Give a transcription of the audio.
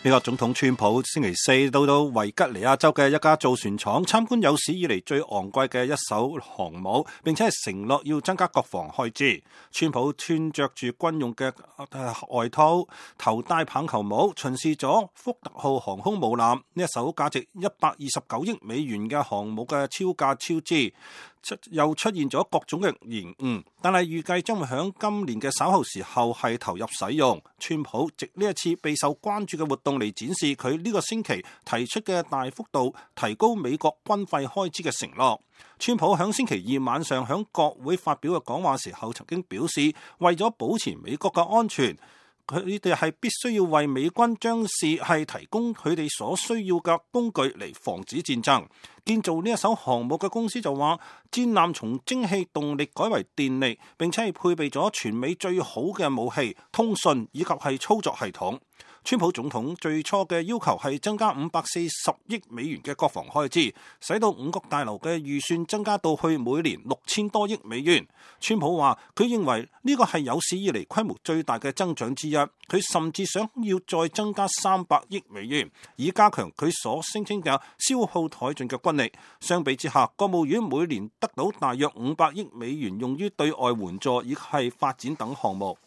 美國總統川普星期四到維吉尼亞州嘅一家造船廠參觀有史以嚟最昂貴嘅一艘航母，並且係承諾要增加國防開支。川普穿着住軍用嘅外套，頭戴棒球帽，巡視咗福特號航空母艦，呢一艘價值129億美元嘅航母嘅超價超支，又出現咗各種嘅延誤，但係預計將會響今年嘅稍後時候係投入使用。川普藉呢一次備受關注嘅活動嚟展示佢呢個星期提出嘅大幅度提高美國軍費開支嘅承諾。川普響星期二晚上響國會發表嘅講話時候，曾經表示為咗保持美國嘅安全，佢哋係必須要為美軍將士係提供佢哋所需要嘅工具嚟防止戰爭。建造呢一艘航母嘅公司就話，戰艦從蒸汽動力改為電力，並且係配備咗全美最好嘅武器、通訊以及係操作系統。川普總統最初嘅要求係增加540億美元嘅國防開支，使到五角大樓嘅預算增加到去每年6000多億美元。川普話佢認為呢個係有史以嚟規模最大嘅增長之一，佢甚至想要再增加300億美元，以加強佢所聲稱嘅消耗殆盡嘅軍力。相比之下，國務院每年得到大約500億美元用於對外援助以及係發展等項目。